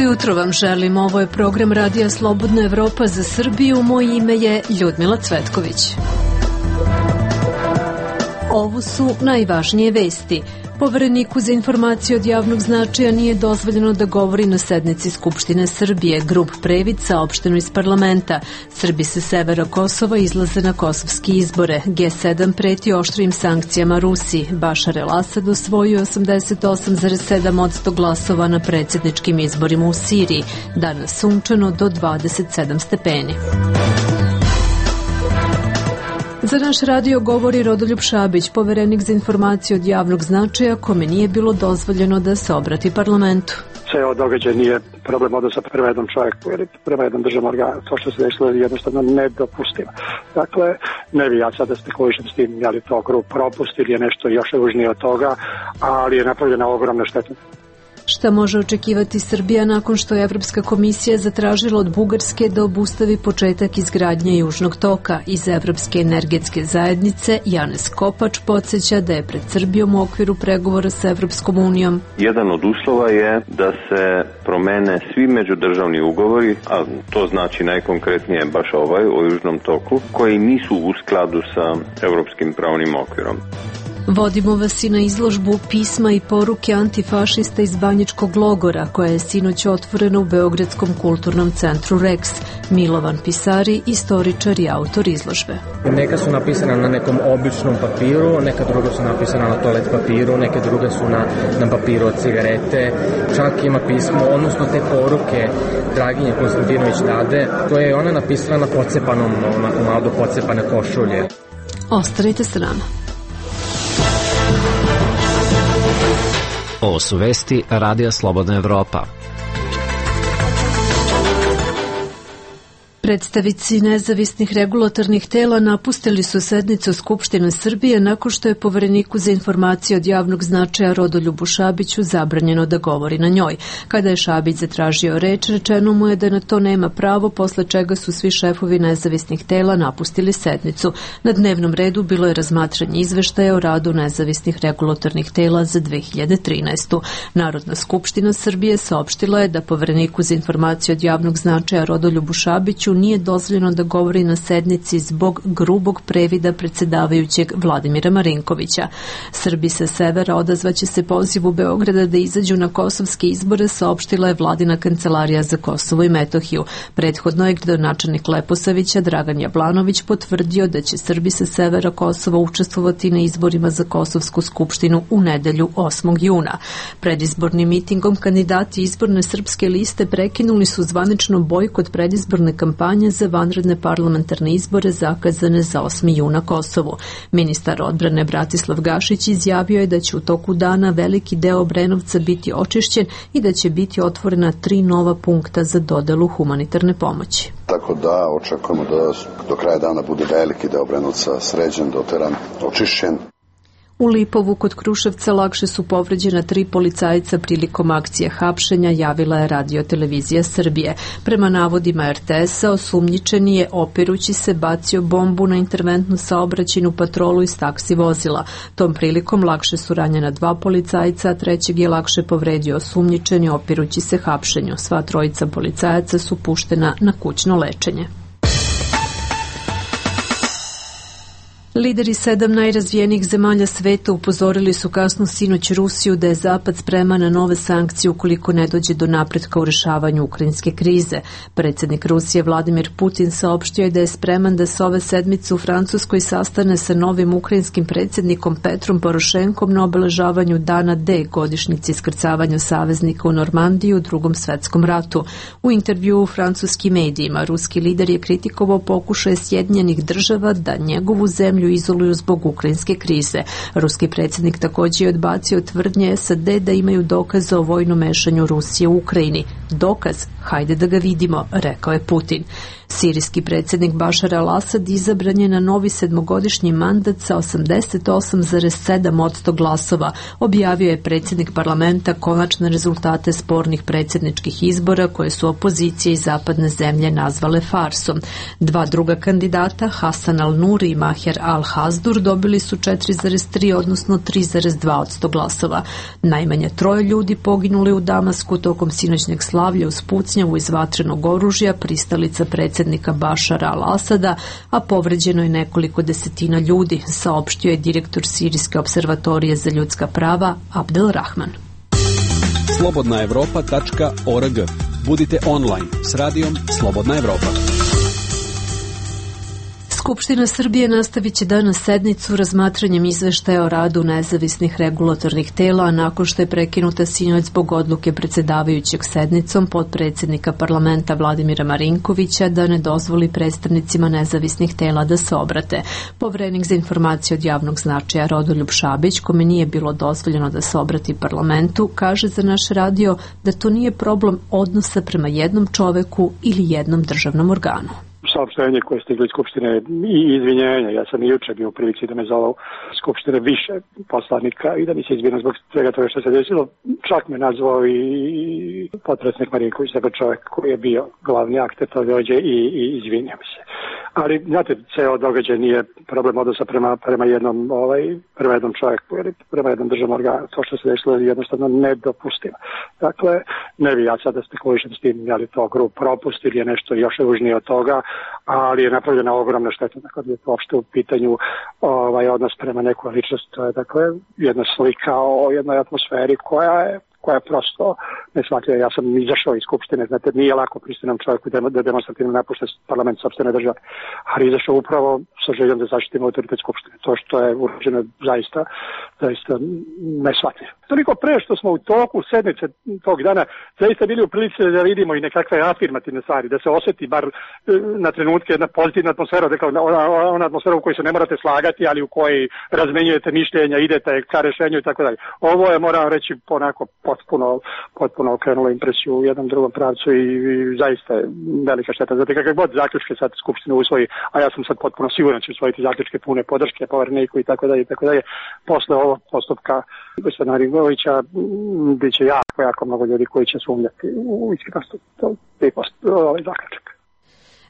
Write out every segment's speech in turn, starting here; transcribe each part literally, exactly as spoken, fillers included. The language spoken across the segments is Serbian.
jutro vam želim. Ovo je program Radija Slobodna Evropa za Srbiju. Moje ime je Ljudmila Cvetković. Ovo su najvažnije vesti. Povereniku za informacije od javnog značaja nije dozvoljeno da govori na sednici Skupštine Srbije. Grup Previd saopšteno iz parlamenta. Srbi sa severa Kosova izlaze na kosovski izbore. G sedam preti oštrim sankcijama Rusiji. Bašar el-Asad osvojio osamdeset osam zarez sedam posto glasova na predsjedničkim izborima u Siriji. Danas sunčano do dvadeset sedam stepeni. Za naš radio govori Rodoljub Šabić, poverenik za informacije od javnog značaja, kome nije bilo dozvoljeno da se obrati parlamentu. Sve ovo događaj nije problem odnosa prema jednom čovjeku ili prema jednom državnom organu. To što se desilo je jednostavno nedopustivo. Dakle, ne bi ja sada spekulišem s tim, je li to grup propust ili je nešto još ružnije od toga, ali je napravljena ogromna šteta. Šta može očekivati Srbija nakon što je Evropska komisija zatražila od Bugarske da obustavi početak izgradnje Južnog toka? Iz Evropske energetske zajednice Janez Kopač podsjeća da je pred Srbijom u okviru pregovora sa Evropskom unijom. Jedan od uslova je da se promene svi međudržavni ugovori, a to znači najkonkretnije baš ovaj o Južnom toku, koji nisu u skladu sa evropskim pravnim okvirom. Vodimo vas i na izložbu pisma i poruke antifašista iz Banjičkog logora, koja je sinoć otvorena u Beogradskom kulturnom centru Rex. Milovan Pisari, istoričar i autor izložbe. Neka su napisana na nekom običnom papiru, neka druga su napisana na toalet papiru, neke druge su na, na papiru od cigarete, čak ima pismo, odnosno te poruke Draginje Konstantinović Dade, koje je ona napisala na pocepanom, na malo pocepane košulje. Ostanite s nama. Ovo su vesti Radija Slobodna Evropa. Predstavnici nezavisnih regulatornih tela napustili su sednicu Skupštine Srbije nakon što je povereniku za informacije od javnog značaja Rodoljubu Šabiću zabranjeno da govori na njoj. Kada je Šabić zatražio reč, rečeno mu je da na to nema pravo, posle čega su svi šefovi nezavisnih tela napustili sednicu. Na dnevnom redu bilo je razmatranje izveštaja o radu nezavisnih regulatornih tela za dve hiljade trinaestu. Narodna skupština Srbije saopštila je da povereniku za informacije od javnog značaja Rodoljubu Šabiću nije dozvoljeno da govori na sednici zbog grubog previda predsjedavajućeg Vladimira Marinkovića. Srbi sa severa odazvaće se pozivu Beograda da izađu na kosovske izbore, saopštila je Vladina kancelarija za Kosovo i Metohiju. Prethodno je gradonačelnik Leposavića Dragan Jablanović potvrdio da će Srbi sa severa Kosova učestvovati na izborima za Kosovsku skupštinu u nedelju osmog juna. Predizbornim mitingom kandidati izborne srpske liste prekinuli su zvanično bojkot predizborne kampanje za vanredne parlamentarne izbore zakazane za osmi jun na Kosovu. Ministar odbrane Bratislav Gašić izjavio je da će u toku dana veliki deo Obrenovca biti očišćen i da će biti otvorena tri nova punkta za dodelu humanitarne pomoći. Tako da očekujemo da do kraja dana bude veliki deo Obrenovca sređen, doteran, očišćen. U Lipovu kod Kruševca lakše su povređena tri policajca prilikom akcije hapšenja, javila je Radio televizija Srbije. Prema navodima er te esa, osumnjičeni je opirući se bacio bombu na interventnu saobraćajnu patrolu iz taksi vozila. Tom prilikom lakše su ranjena dva policajca, a trećeg je lakše povredio osumnjičeni opirući se hapšenju. Sva trojica policajaca su puštena na kućno lečenje. Lideri sedam najrazvijenijih zemalja sveta upozorili su kasno sinoć Rusiju da je Zapad spreman na nove sankcije ukoliko ne dođe do napretka u rešavanju ukrajinske krize. Predsjednik Rusije Vladimir Putin saopštio je da je spreman da se ove sedmice u Francuskoj sastane sa novim ukrajinskim predsjednikom Petrom Porošenkom na obeležavanju Dana D, godišnjici iskrcavanja saveznika u Normandiji u Drugom svetskom ratu. U intervjuu u francuskim medijima ruski lider je kritikovao pokušaje Sjedinjenih država da njegovu zemlju izoluju zbog ukrajinske krize. Ruski predsjednik također je odbacio tvrdnje es a de da imaju dokaze o vojnom mešanju Rusije u Ukrajini. Dokaz hajde da ga vidimo, rekao je Putin. Sirijski predsjednik Bašar al-Asad izabran je na novi sedmogodišnji mandat sa osamdeset osam zarez sedam posto glasova. Objavio je predsjednik parlamenta konačne rezultate spornih predsjedničkih izbora koje su opozicije i zapadne zemlje nazvale farsom. Dva druga kandidata, Hasan al-Nuri i Maher al-Hazdur, dobili su četiri zarez tri odnosno tri zarez dva posto glasova. Najmanje troje ljudi poginuli u Damasku tokom sinoćnjeg slavlja uz pucnjavu iz vatrenog oružja, pristalica predsjednika Bašara al-Asada, a povređeno je nekoliko desetina ljudi, saopštio je direktor Sirijske observatorije za ljudska prava Abdel Rahman. slobodna evropa tačka org. Budite online s radijom Slobodna Evropa. Skupština Srbije nastavit će danas sednicu razmatranjem izveštaja o radu nezavisnih regulatornih tela nakon što je prekinuta sinoć zbog odluke predsjedavajućeg sednicom potpredsjednika parlamenta Vladimira Marinkovića da ne dozvoli predstavnicima nezavisnih tela da se obrate. Poverenik za informacije od javnog značaja Rodoljub Šabić, kome nije bilo dozvoljeno da se obrati parlamentu, kaže za naš radio da to nije problem odnosa prema jednom čoveku ili jednom državnom organu. Saopštenje koje je stiglo iz Skupštine i izvinjenja. Ja sam i juče bio u prilici da me zove Skupštine više poslanika i da mi se izvinjam zbog svega toga što se desilo. Čak me nazvao i potpredsjednik Marinković, dakle čovjek koji je bio glavni akter to dođe i, i izvinja mi se. Ali, znate, ceo događaj nije problem odnosa prema, prema jednom ovaj, prema jednom čovjeku ili prema jednom državnom organu. To što se desilo je jednostavno nedopustivo. Dakle, ne bi ja sad da spekulišem s tim, je li to grup propust ili je nešto još ružnije od toga, ali je napravljena ogromna šteta. Dakle, je to uopšte u pitanju ovaj, odnos prema nekoj ličnosti. To je, dakle, jedna slika o jednoj atmosferi koja je koja je prosto neshvatljiva. Ja sam izašao iz Skupštine, znate, nije lako pristojnom čovjeku da demonstrativno napušta parlament sopstvene države, ali izašao upravo sa željom da zaštitimo autoritet Skupštine. To što je urađeno zaista, zaista neshvatljivo. Toliko pre što smo u toku sedmice tog dana zaista bili u prilici da vidimo i nekakve afirmativne stvari, da se osjeti bar na trenutke jedna pozitivna atmosfera, dakle ona, ona atmosfera u kojoj se ne morate slagati, ali u kojoj razmenjujete mišljenja, idete ka rešenju i tako dalje. Ovo je, moram reći, onako potpuno, potpuno okrenulo impresiju u jednom drugom pravcu i, i zaista je velika šteta. Zato kakve god zaključke sad Skupština usvoji, a ja sam sad potpuno siguran će usvojiti zaključke pune podrške povereniku i tako dalje i tako dalje. Posle ovog postupka gospodina Marinkovića bit će jako, jako mnogo ljudi koji će sumnjati u iskrenost ovaj zaključak.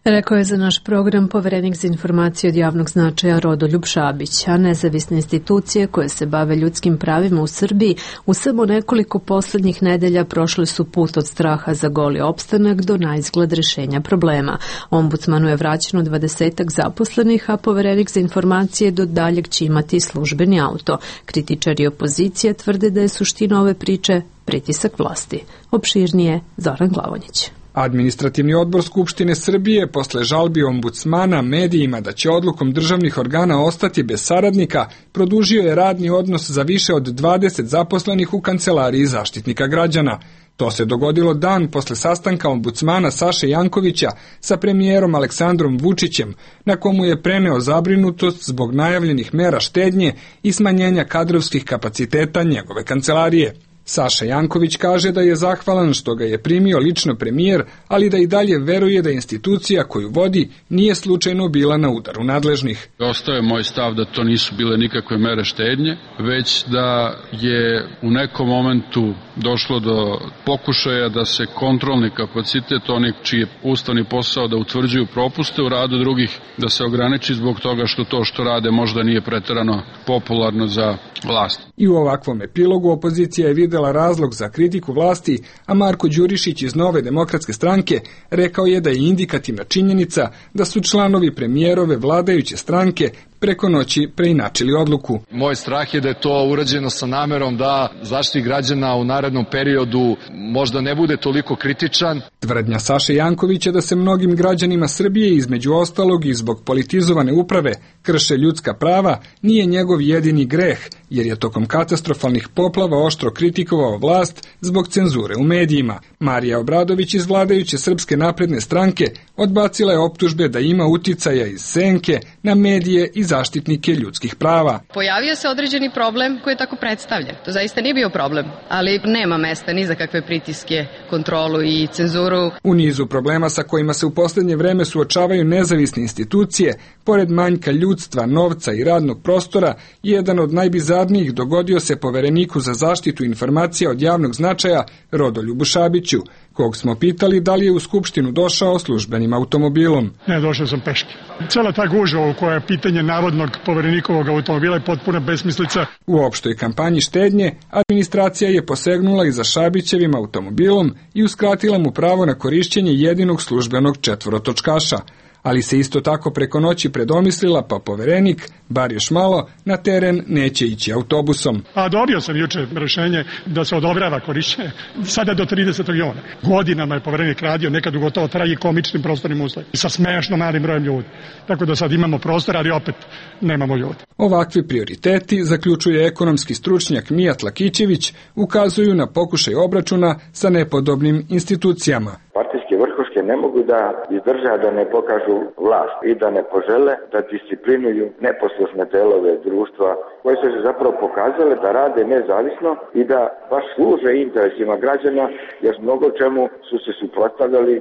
Rekao je za naš program poverenik za informacije od javnog značaja Rodoljub Šabić, a nezavisne institucije koje se bave ljudskim pravima u Srbiji u samo nekoliko posljednjih nedelja prošli su put od straha za goli opstanak do naizgled rešenja problema. Ombudsmanu je vraćeno dvadesetak zaposlenih, a poverenik za informacije do daljeg će imati službeni auto. Kritičari opozicije tvrde da je suština ove priče pritisak vlasti. Opširnije Zoran Glavonjić. Administrativni odbor Skupštine Srbije posle žalbi ombudsmana medijima da će odlukom državnih organa ostati bez saradnika, produžio je radni odnos za više od dvadeset zaposlenih u kancelariji Zaštitnika građana. To se dogodilo dan posle sastanka ombudsmana Saše Jankovića sa premijerom Aleksandrom Vučićem, na komu je preneo zabrinutost zbog najavljenih mera štednje i smanjenja kadrovskih kapaciteta njegove kancelarije. Saša Janković kaže da je zahvalan što ga je primio lično premijer, ali da i dalje veruje da institucija koju vodi nije slučajno bila na udaru nadležnih. Ostao je moj stav da to nisu bile nikakve mere štednje, već da je u nekom momentu došlo do pokušaja da se kontrolni kapacitet onih čiji je ustavni posao da utvrđuju propuste u radu drugih, da se ograniči zbog toga što to što rade možda nije preterano popularno za vlast. I u ovakvom epilogu opozicija je videla razlog za kritiku vlasti, a Marko Đurišić iz Nove demokratske stranke rekao je da je indikativna činjenica da su članovi premijerove vladajuće stranke preko noći preinačili odluku. Moj strah je da je to urađeno sa namerom da Zaštitnik građana u narednom periodu možda ne bude toliko kritičan. Tvrdnja Saše Jankovića da se mnogim građanima Srbije između ostalog i zbog politizovane uprave krše ljudska prava nije njegov jedini greh, jer je tokom katastrofalnih poplava oštro kritikovao vlast zbog cenzure u medijima. Marija Obradović iz vladajuće Srpske napredne stranke odbacila je optužbe da ima uticaja iz senke na medije i zaštitnike ljudskih prava. Pojavio se određeni problem koji je tako predstavljen. To zaista nije bio problem, ali nema mesta ni za kakve pritiske, kontrolu i cenzuru. U nizu problema sa kojima se u poslednje vreme suočavaju nezavisne institucije, pored manjka ljudstva, novca i radnog prostora, jedan od najbizarnijih dogodio se Povereniku za zaštitu informacija od javnog značaja Rodoljubu Šabiću, kog smo pitali da li je u Skupštinu došao službenim automobilom. Ne, došao sam peške. Cela ta gužva u koja je pitanje navodnog Poverenikovog automobila je potpuna besmislica. U opštoj kampanji štednje administracija je posegnula i za Šabićevim automobilom i uskratila mu pravo na korišćenje jedinog službenog četvorotočkaša, ali se isto tako preko noći predomislila, pa Poverenik, bar još malo, na teren neće ići autobusom. A dobio sam juče rešenje da se odobrava korišćenje, sada do tridesetog juna. Godinama je Poverenik radio, nekad u gotovo tragikomičnim prostornim uslovima, sa smešno malim brojem ljudi. Tako da sad imamo prostor, ali opet nemamo ljudi. Ovakvi prioriteti, zaključuje ekonomski stručnjak Mijat Lakićević, ukazuju na pokušaj obračuna sa nepodobnim institucijama. Partijske vrhuške ne mogu da izdrža da ne pokažu vlast i da ne požele da disciplinuju neposlušne delove društva koje su se zapravo pokazale da rade nezavisno i da baš služe interesima građana, jer mnogo čemu su se suprotstavljali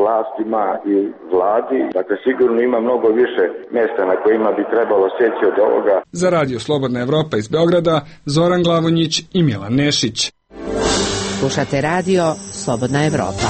vlastima i vladi. Dakle, sigurno ima mnogo više mjesta na kojima bi trebalo seći od ovoga. Za Radio Slobodna Evropa iz Beograda, Zoran Glavonjić i Milan Nešić. Slušate Radio Slobodna Evropa.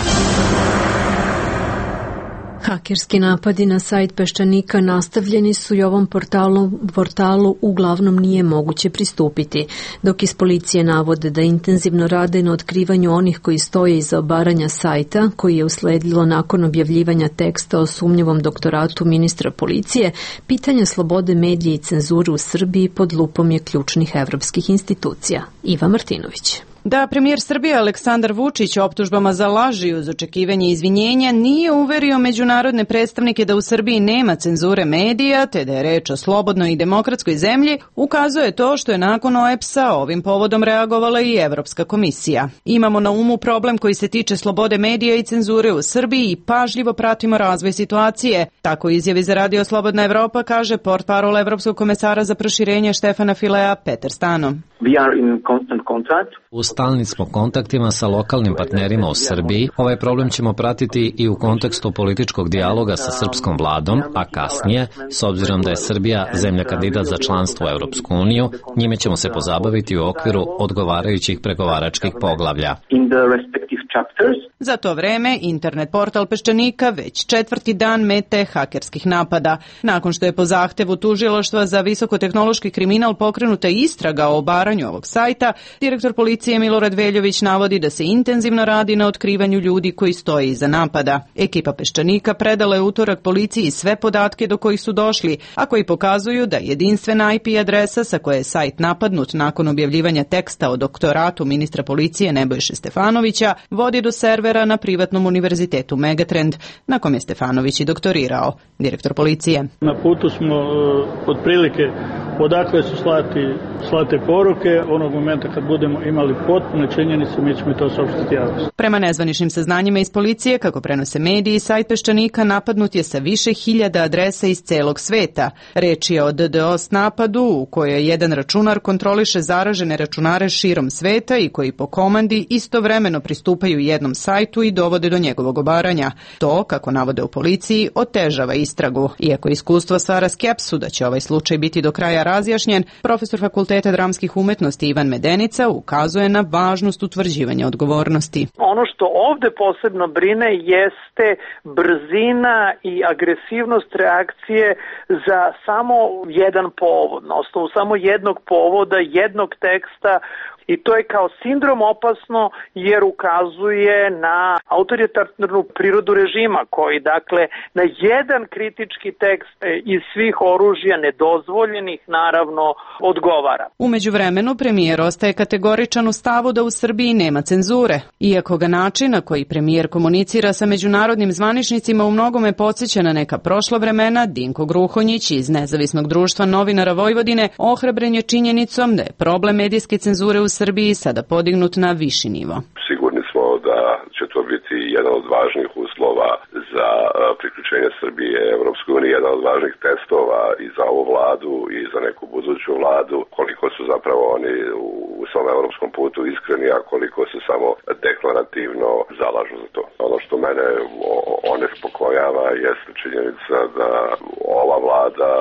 Hakerski napadi na sajt Peščanika nastavljeni su i ovom portalu, portalu uglavnom nije moguće pristupiti, dok iz policije navode da intenzivno rade na otkrivanju onih koji stoje iza obaranja sajta, koji je usledilo nakon objavljivanja teksta o sumnjivom doktoratu ministra policije. Pitanje slobode medija i cenzure u Srbiji pod lupom je ključnih evropskih institucija. Iva Martinović. Da premijer Srbije Aleksandar Vučić optužbama za laži uz očekivanje izvinjenja nije uverio međunarodne predstavnike da u Srbiji nema cenzure medija, te da je reč o slobodnoj i demokratskoj zemlji, ukazuje to što je nakon O E P S-a ovim povodom reagovala i Evropska komisija. Imamo na umu problem koji se tiče slobode medija i cenzure u Srbiji i pažljivo pratimo razvoj situacije. Tako izjavi za Radio Slobodna Evropa kaže portparol Evropskog komesara za proširenje Štefana Filea Peter Stano. We are in constant contact. U stalnim smo kontaktima sa lokalnim partnerima u Srbiji. Ovaj problem ćemo pratiti i u kontekstu političkog dijaloga sa srpskom vladom, a kasnije, s obzirom da je Srbija zemlja kandidat za članstvo u Evropsku uniju, njime ćemo se pozabaviti u okviru odgovarajućih pregovaračkih poglavlja. In the respective chapters. Za to vreme, internet portal Peščanika već četvrti dan mete hakerskih napada. Nakon što je po zahtevu tužilaštva za visokotehnološki kriminal pokrenuta istraga o obaranju ovog sajta, direktor policije Milorad Veljović navodi da se intenzivno radi na otkrivanju ljudi koji stoje iza napada. Ekipa Peščanika predala je utorak policiji sve podatke do kojih su došli, a koji pokazuju da jedinstvena I P adresa sa koje je sajt napadnut nakon objavljivanja teksta o doktoratu ministra policije Nebojše Stefanovića vodi do servera na privatnom univerzitetu Megatrend, na kom je Stefanović i doktorirao. Direktor policije. Na putu smo uh, otprilike odakle su slati, slate poruke. Onog momenta kad budemo imali potpune činjenice, mi ćemo to saopštiti javnosti. Prema nezvaničnim saznanjima iz policije, kako prenose mediji, sajt Peščanika napadnut je sa više hiljada adresa iz celog sveta. Reč je o D D oS napadu u kojoj jedan računar kontroliše zaražene računare širom sveta i koji po komandi istovremeno pristupaju jednom sajtu i dovode do njegovog obaranja. To, kako navode u policiji, otežava istragu. Iako iskustvo stvara skepsu da će ovaj slučaj biti do kraja razjašnjen, profesor Fakulteta dramskih umetnosti Ivan Medenica ukazuje na važnost utvrđivanja odgovornosti. Ono što ovde posebno brine jeste brzina i agresivnost reakcije za samo jedan povod, na osnovu samo jednog povoda, jednog teksta. I to je kao sindrom opasno jer ukazuje na autoritarnu prirodu režima koji dakle na jedan kritički tekst iz svih oružja nedozvoljenih naravno odgovara. U međuvremenu premijer ostaje kategoričan u stavu da u Srbiji nema cenzure. Iako ga način na koji premijer komunicira sa međunarodnim zvaničnicima u mnogome podsjeća na neka prošla vremena, Dinko Gruhonjić iz Nezavisnog društva novinara Vojvodine ohrabren je činjenicom da je problem medijske cenzure u Srbiji sada podignut na viši nivo. Sigurni smo da će to biti jedan od važnih uslova za priključenje priključenje Srbije Evropskoj uniji jedan od važnih testova i za ovu vladu i za neku buduću vladu, koliko su zapravo oni u svom evropskom putu iskreni, a koliko se samo deklarativno zalažu za to. Ono što mene onespokojava jeste činjenica da ova vlada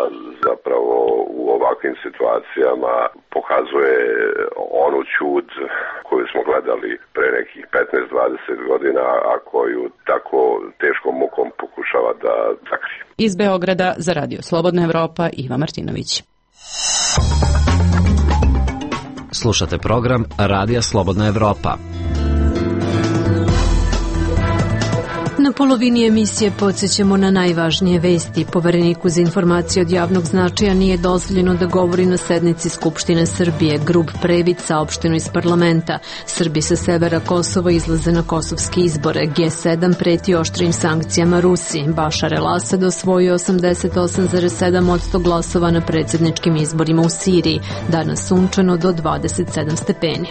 zapravo u ovakvim situacijama pokazuje onu ćud koju smo gledali pre nekih petnaest dvadeset godina, a koju tako teškom mukom pokušava da sakrije. Iz Beograda za Radio Slobodna Evropa, Iva Martinović. Slušate program Radija Slobodna Evropa. Na polovini emisije podsjećamo na najvažnije vesti. Povereniku za informacije od javnog značaja nije dozvoljeno da govori na sednici Skupštine Srbije. Grub previd saopšteno iz parlamenta. Srbi sa severa Kosova izlaze na kosovske izbore. G sedam preti oštrim sankcijama Rusiji. Bašar el-Asad osvojio osamdeset osam zarez sedam posto glasova na predsjedničkim izborima u Siriji. Danas sunčano do dvadeset sedam stepeni.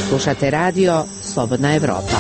Slušate radio Slobodna Evropa.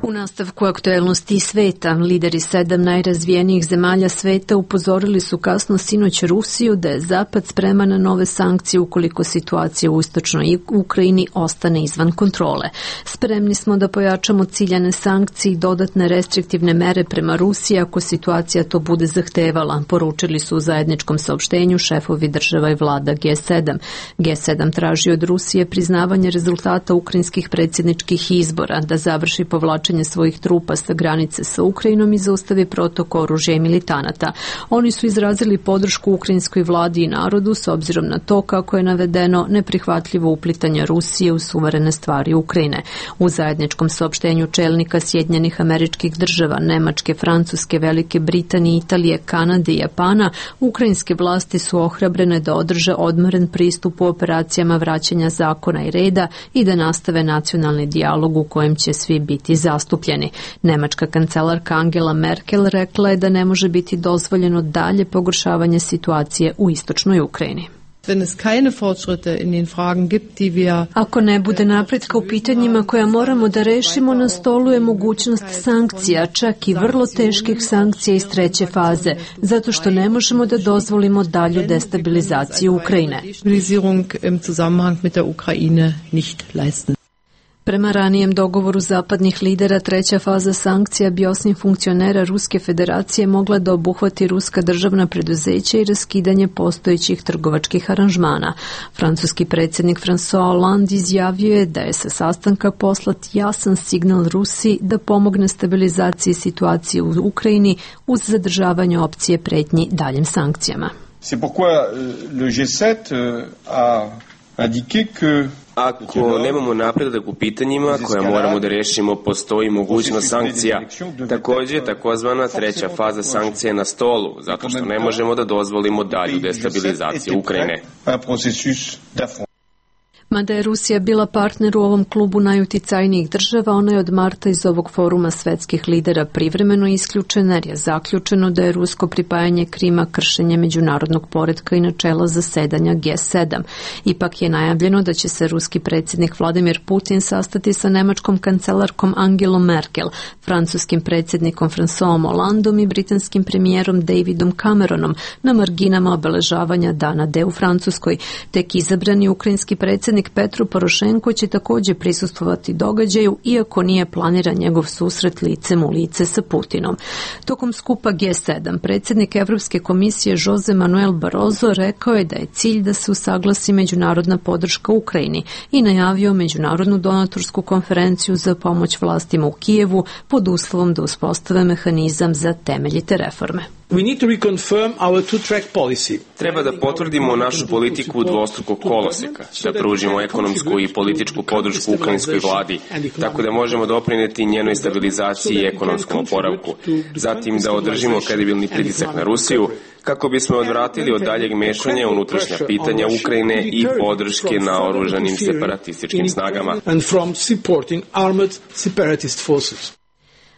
U nastavku aktuelnosti sveta, lideri sedam najrazvijenijih zemalja sveta upozorili su kasno sinoć Rusiju da je Zapad spreman na nove sankcije ukoliko situacija u istočnoj Ukrajini ostane izvan kontrole. Spremni smo da pojačamo ciljane sankcije i dodatne restriktivne mere prema Rusiji ako situacija to bude zahtevala, poručili su u zajedničkom saopštenju šefovi država i vlada G sedam. G sedam traži od Rusije priznavanje rezultata ukrajinskih predsjedničkih izbora, da završi povlačenje svojih trupa sa granice sa Ukrajinom i zaustavi protok oružja i militanata. Oni su izrazili podršku ukrajinskoj vladi i narodu s obzirom na to kako je navedeno neprihvatljivo uplitanje Rusije u suverene stvari Ukrajine. U zajedničkom saopštenju čelnika Sjedinjenih Američkih Država, Nemačke, Francuske, Velike Britanije, Italije, Kanade i Japana, ukrajinske vlasti su ohrabrene da održe odmeren pristup u operacijama vraćanja zakona i reda i da nastave nacionalni dijalog u kojem će svi biti zastupljeni. Nemačka kancelarka Angela Merkel rekla je da ne može biti dozvoljeno dalje pogoršavanje situacije u istočnoj Ukrajini. Ako ne bude napretka u pitanjima koja moramo da rešimo, na stolu je mogućnost sankcija, čak i vrlo teških sankcija iz treće faze, zato što ne možemo da dozvolimo dalju destabilizaciju Ukrajine. Prema ranijem dogovoru zapadnih lidera, treća faza sankcija bi osim funkcionera Ruske federacije mogla da obuhvati ruska državna preduzeća i raskidanje postojećih trgovačkih aranžmana. Francuski predsjednik François Hollande izjavio je da je sa sastanka poslat jasan signal Rusiji da pomogne stabilizaciji situacije u Ukrajini uz zadržavanje opcije pretnji daljim sankcijama. C'est pourquoi le G sept a indiqué que Ako nemamo napredak u pitanjima koja moramo da rešimo, postoji mogućnost sankcija. Također, takozvana treća faza sankcija je na stolu, zato što ne možemo da dozvolimo dalju destabilizaciju Ukrajine. Mada je Rusija bila partner u ovom klubu najuticajnijih država, ona je od marta iz ovog foruma svetskih lidera privremeno isključena jer je zaključeno da je rusko pripajanje Krima kršenje međunarodnog poretka i načela zasedanja G sedam. Ipak je najavljeno da će se ruski predsjednik Vladimir Putin sastati sa nemačkom kancelarkom Angelom Merkel, francuskim predsjednikom François Hollandom i britanskim premijerom Davidom Cameronom na marginama obeležavanja Dana D u Francuskoj. Tek izabrani ukrajinski predsjednik Petro Porošenko će također prisustvovati događaju, iako nije planiran njegov susret licem u lice sa Putinom. Tokom skupa G sedam, predsjednik Evropske komisije Jose Manuel Barroso rekao je da je cilj da se usaglasi međunarodna podrška Ukrajini i najavio međunarodnu donatorsku konferenciju za pomoć vlastima u Kijevu pod uslovom da uspostave mehanizam za temeljite reforme. We need to reconfirm our two-track policy. Treba da potvrdimo našu politiku dvostrukog koloseka, da pružimo ekonomsku i političku podršku ukrajinskoj vladi, tako da možemo doprineti njenoj stabilizaciji i ekonomskom oporavku. Zatim da održimo kredibilni pritisak na Rusiju, kako bismo odvratili od daljeg mešanja unutrašnja pitanja Ukrajine i podrške na oružanim separatističkim snagama. And from supporting armed separatist forces.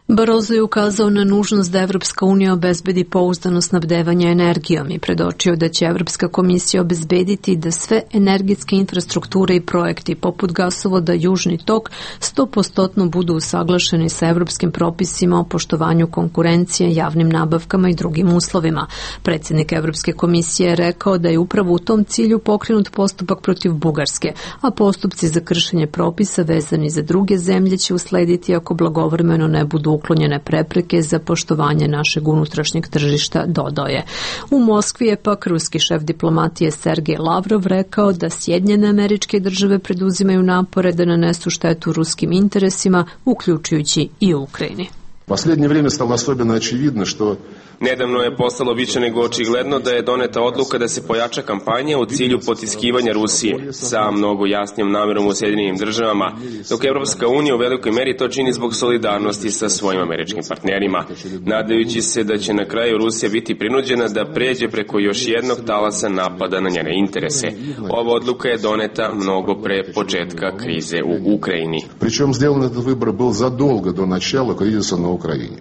Barroso je ukazao na nužnost da Evropska unija obezbedi pouzdano snabdevanje energijom i predočio da će Evropska komisija obezbediti da sve energetske infrastrukture i projekti poput gasovoda Južni tok sto posto budu usaglašeni sa evropskim propisima o poštovanju konkurencije, javnim nabavkama i drugim uslovima. Predsjednik Evropske komisije je rekao da je upravo u tom cilju pokrenut postupak protiv Bugarske, a postupci za kršenje propisa vezani za druge zemlje će uslediti ako blagovremeno ne budu uklonjene prepreke za poštovanje našeg unutrašnjeg tržišta, dodao je. U Moskvi je pak ruski šef diplomatije Sergej Lavrov rekao da Sjedinjene Američke Države preduzimaju napore da nanesu štetu ruskim interesima, uključujući i u Ukrajini. Последнее время стало особенно очевидно, что Nedavno je postalo više nego očigledno da je doneta odluka da se pojača kampanja u cilju potiskivanja Rusije sa mnogo jasnijom namerom u Sjedinjenim državama, dok Evropska unija u velikoj meri to čini zbog solidarnosti sa svojim američkim partnerima, nadajući se da će na kraju Rusija biti prinuđena da pređe preko još jednog talasa napada na njene interese. Ova odluka je doneta mnogo pre početka krize u Ukrajini. Причем сделан этот выбор был задолго до начала кризиса на Украине.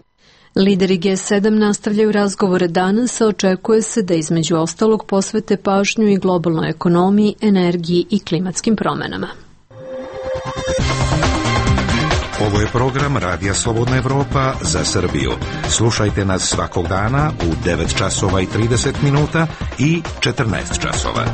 Lideri G sedam nastavljaju razgovore danas, a očekuje se da između ostalog posvete pažnju i globalnoj ekonomiji, energiji i klimatskim promenama. Ovo je program Radija Slobodna Evropa za Srbiju. Slušajte nas svakog dana u devet časova i trideset minuta i četrnaest časova.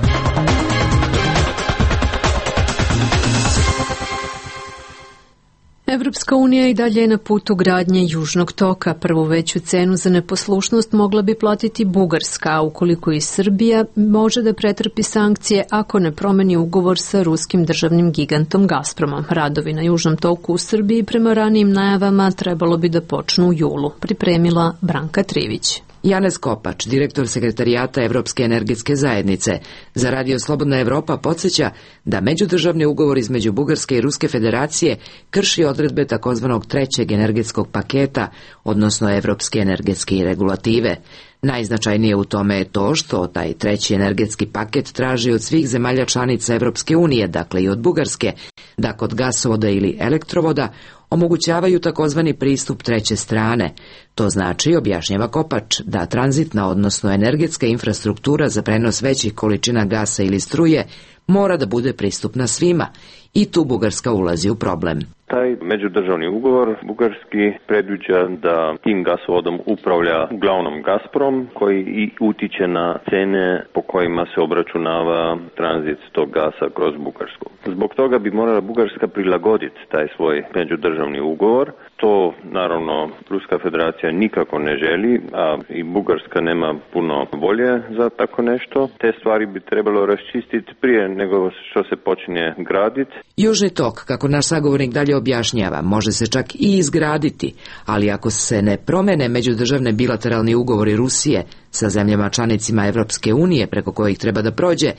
Evropska unija i dalje je na putu gradnje Južnog toka. Prvu veću cenu za neposlušnost mogla bi platiti Bugarska, a ukoliko i Srbija može da pretrpi sankcije ako ne promeni ugovor sa ruskim državnim gigantom Gazpromom. Radovi na Južnom toku u Srbiji prema ranijim najavama trebalo bi da počnu u julu. Pripremila Branka Trivić. Janez Kopač, direktor sekretarijata Evropske energetske zajednice, za Radio Slobodna Evropa podsjeća da međudržavni ugovor između Bugarske i Ruske federacije krši odredbe takozvanog trećeg energetskog paketa, odnosno Evropske energetske regulative. Najznačajnije u tome je to što taj treći energetski paket traži od svih zemalja članica Evropske unije, dakle i od Bugarske, da kod gasovoda ili elektrovoda omogućavaju takozvani pristup treće strane. To znači, objašnjava Kopač, da tranzitna, odnosno energetska infrastruktura za prenos većih količina gasa ili struje mora da bude pristupna svima i tu Bugarska ulazi u problem. Taj međudržavni ugovor bugarski predviđa da tim gasovodom upravlja uglavnom Gazprom, koji i utiče na cene po kojima se obračunava tranzit tog gasa kroz Bugarsku. Zbog toga bi morala Bugarska prilagoditi taj svoj međudržavni ugovor. To, naravno, Ruska federacija nikako ne želi, a i Bugarska nema puno volje za tako nešto. Te stvari bi trebalo raščistiti prije nego što se počne graditi. Južni tok, kako naš sagovornik dalje objašnjava, može se čak i izgraditi, ali ako se ne promene međudržavne bilateralni ugovori Rusije sa zemljama članicima Evropske unije preko kojih treba da prođe,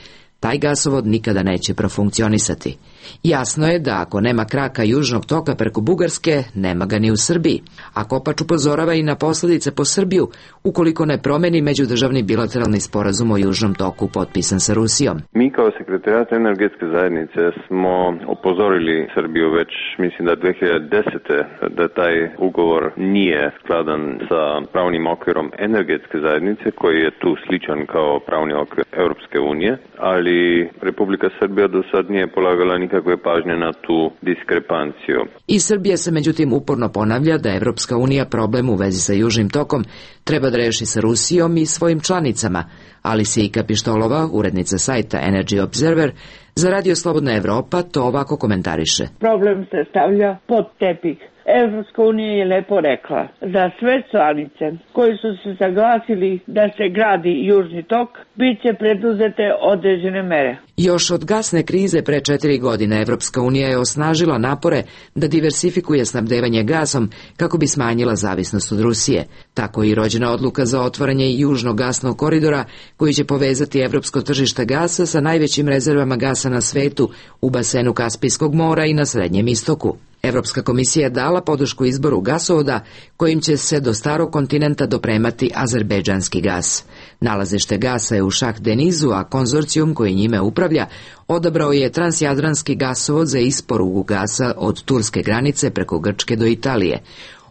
taj gasovod nikada neće profunkcionisati. Jasno je da ako nema kraka Južnog toka preko Bugarske, nema ga ni u Srbiji. A Kopač upozorava i na posljedice po Srbiju ukoliko ne promeni međudržavni bilateralni sporazum o Južnom toku potpisan sa Rusijom. Mi kao sekretarijat energetske zajednice smo opozorili Srbiju već, mislim da dve hiljade desete. da taj ugovor nije skladan sa pravnim okvirom energetske zajednice, koji je tu sličan kao pravni okvir Europske unije, ali Republika Srbija do sad nije polagala nikakve pažnje na tu diskrepanciju. I Srbija se međutim uporno ponavlja da Evropska unija problem u vezi sa Južnim tokom treba da reši sa Rusijom i svojim članicama, ali Sijka Pištolova, urednica sajta Energy Observer, za Radio Slobodna Evropa to ovako komentariše. Problem se stavlja pod tepih. Evropska unija je lepo rekla da sve članice koji su se saglasili da se gradi Južni tok, bit će preduzete određene mere. Još od gasne krize pre četiri godine Evropska unija je osnažila napore da diversifikuje snabdevanje gasom kako bi smanjila zavisnost od Rusije. Tako je i rođena odluka za otvaranje južnog gasnog koridora koji će povezati evropsko tržište gasa sa najvećim rezervama gasa na svetu u basenu Kaspijskog mora i na Srednjem istoku. Evropska komisija je dala podršku izboru gasovoda kojim će se do starog kontinenta dopremati azerbejdžanski gas. Nalazište gasa je u Šah Denizu, a konzorcijum koji njime upravlja odabrao je transjadranski gasovod za isporuku gasa od turske granice preko Grčke do Italije.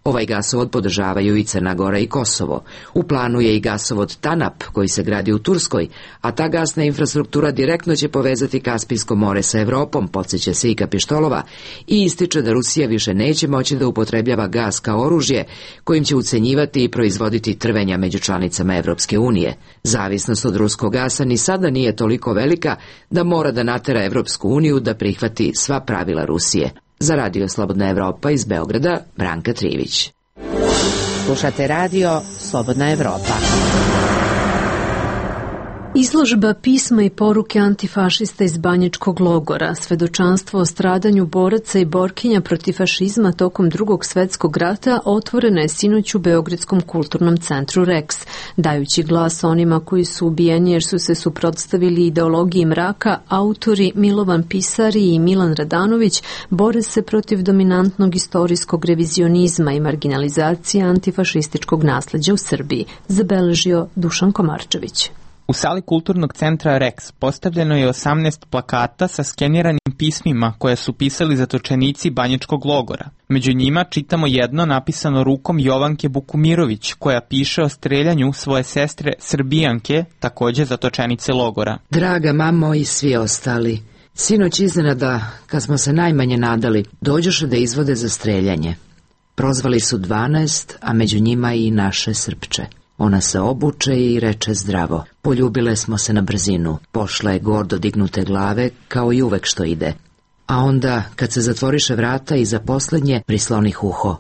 Ovaj gasovod podržavaju i Crna Gora i Kosovo. U planu je i gasovod TANAP koji se gradi u Turskoj, a ta gasna infrastruktura direktno će povezati Kaspijsko more sa Evropom, podsjeća se i Kapištolova, i ističe da Rusija više neće moći da upotrebljava gas kao oružje kojim će ucenjivati i proizvoditi trvenja među članicama Evropske unije. Zavisnost od ruskog gasa ni sada nije toliko velika da mora da natera Evropsku uniju da prihvati sva pravila Rusije. Za Radio Slobodna Evropa iz Beograda, Branka Trivić. Slušate radio Slobodna Evropa. Izložba pisma i poruke antifašista iz Banjičkog logora, svedočanstvo o stradanju boraca i borkinja protiv fašizma tokom Drugog svetskog rata, otvorena je sinoć u Beogradskom kulturnom centru Rex, dajući glas onima koji su ubijeni jer su se suprotstavili ideologiji mraka. Autori Milovan Pisari i Milan Radanović bore se protiv dominantnog istorijskog revizionizma i marginalizacije antifašističkog nasleđa u Srbiji, zabeležio Dušan Komarčević. U sali kulturnog centra Rex postavljeno je osamnaest plakata sa skeniranim pismima koje su pisali zatočenici Banjičkog logora. Među njima čitamo jedno napisano rukom Jovanke Bukumirović, koja piše o streljanju svoje sestre Srbijanke, takođe zatočenice logora. Draga mamo i svi ostali, sinoć iznenada, kad smo se najmanje nadali, dođoše da izvode za streljanje. Prozvali su dvanaest, a među njima i naše Srpče. Ona se obuče i reče zdravo. Poljubile smo se na brzinu. Pošla je gordo dignute glave, kao i uvek što ide. A onda, kad se zatvoriše vrata i za poslednje, prislonih uho.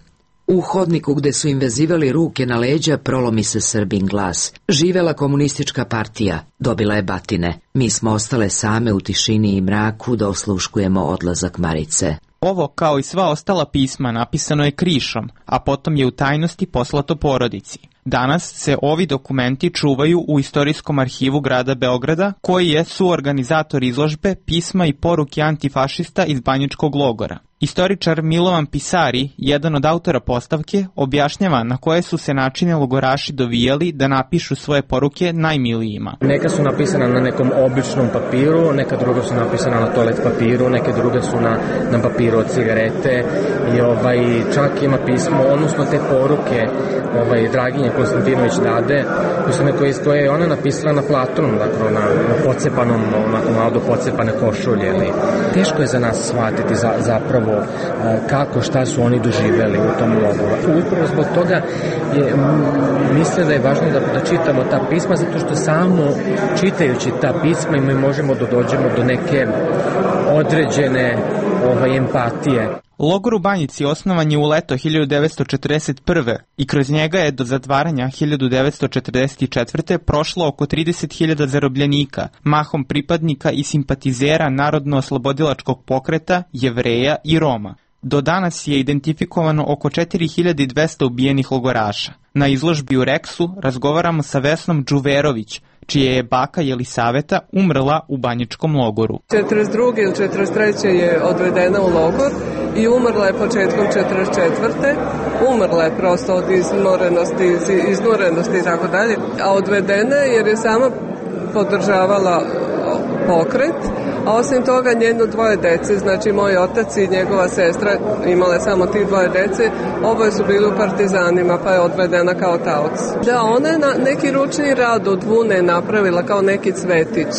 U hodniku gde su im vezivali ruke na leđa, prolomi se Srbin glas. Živela komunistička partija. Dobila je batine. Mi smo ostale same u tišini i mraku da osluškujemo odlazak Marice. Ovo, kao i sva ostala pisma, napisano je krišom, a potom je u tajnosti poslato porodici. Danas se ovi dokumenti čuvaju u Istorijskom arhivu grada Beograda, koji je suorganizator izložbe Pisma i poruke antifašista iz Banjičkog logora. Istoričar Milovan Pisari, jedan od autora postavke, objašnjava na koje su se načine logoraši dovijali da napišu svoje poruke najmilijima. Neka su napisana na nekom običnom papiru, neka druga su napisana na toalet papiru, neke druge su na, na papiru od cigarete i ovaj, čak ima pismo, odnosno te poruke ovaj, Draginje Konstantinović Dade, koje, koje je ona napisala na platonu, dakle na, na pocepanom, onako malo do pocepane košulje. Ali teško je za nas shvatiti za, zapravo kako, šta su oni doživeli u tom logoru. Upravo zbog toga je, mislim da je važno da, da čitamo ta pisma, zato što samo čitajući ta pisma mi možemo da dođemo do neke određene ovaj, empatije. Logor u Banjici osnovan je u leto hiljadu devetsto četrdeset prve. i kroz njega je do zatvaranja hiljadu devetsto četrdeset četvrte. prošlo oko trideset hiljada zarobljenika, mahom pripadnika i simpatizera Narodno-oslobodilačkog pokreta, Jevreja i Roma. Do danas je identifikovano oko četiri hiljade dvesta ubijenih logoraša. Na izložbi u Reksu razgovaramo sa Vesnom Đuverović, čije je baka Jelisaveta umrla u Banjičkom logoru. četrdeset druge ili četrdeset treće je odvedena u logor i umrla je početkom četrdeset četvrte. Umrla je prosto od izmorenosti, izmorenosti i tako dalje, a odvedena je jer je sama podržavala pokret, a osim toga njeno dvoje dece, znači moj otac i njegova sestra imale samo ti dvoje dece, oboje su bili u partizanima pa je odvedena kao taoc. Da, ona je na neki ručni rad od vune napravila kao neki cvetić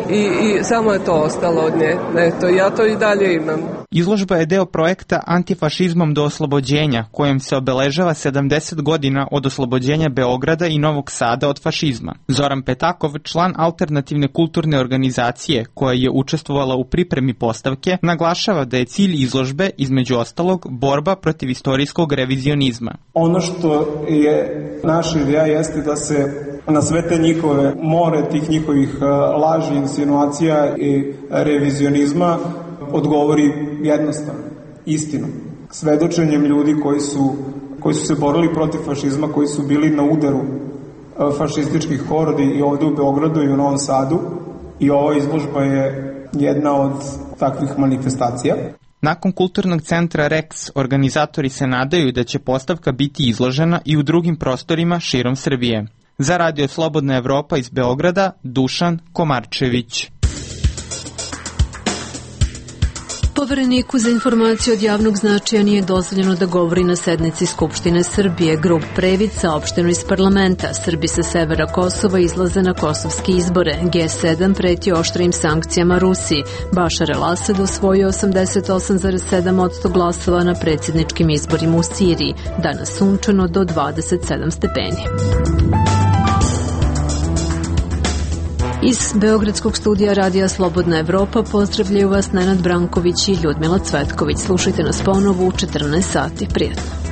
i, i samo je to ostalo od nje. Eto, ja to i dalje imam. Izložba je deo projekta Antifašizmom do oslobođenja, kojem se obeležava sedamdeset godina od oslobođenja Beograda i Novog Sada od fašizma. Zoran Petakov, član alternativne kulturne organizacije koja je učestvovala u pripremi postavke, naglašava da je cilj izložbe, između ostalog, borba protiv istorijskog revizionizma. Ono što je naša ideja jeste da se na sve te njihove more tih njihovih laži, insinuacija i revizionizma odgovori jednostavno, istinom. Svedočenjem ljudi koji su, koji su se borili protiv fašizma, koji su bili na udaru fašističkih hordi i ovde u Beogradu i u Novom Sadu, i ova izložba je jedna od takvih manifestacija. Nakon kulturnog centra Rex, organizatori se nadaju da će postavka biti izložena i u drugim prostorima širom Srbije. Za Radio Slobodna Evropa iz Beograda, Dušan Komarčević. Povereniku za informaciju od javnog značaja nije dozvoljeno da govori na sednici Skupštine Srbije. Grup Previd saopšteno iz parlamenta. Srbi sa severa Kosova izlaze na kosovske izbore. G sedam preti oštrim sankcijama Rusiji. Bašar el-Asad osvojio osamdeset osam zarez sedam posto glasova na predsjedničkim izborima u Siriji. Danas sunčano do dvadeset sedam stepeni. Iz Beogradskog studija Radija Slobodna Evropa pozdravljaju vas Nenad Branković i Ljudmila Cvetković. Slušajte nas ponovo u četrnaest sati. Prijetno.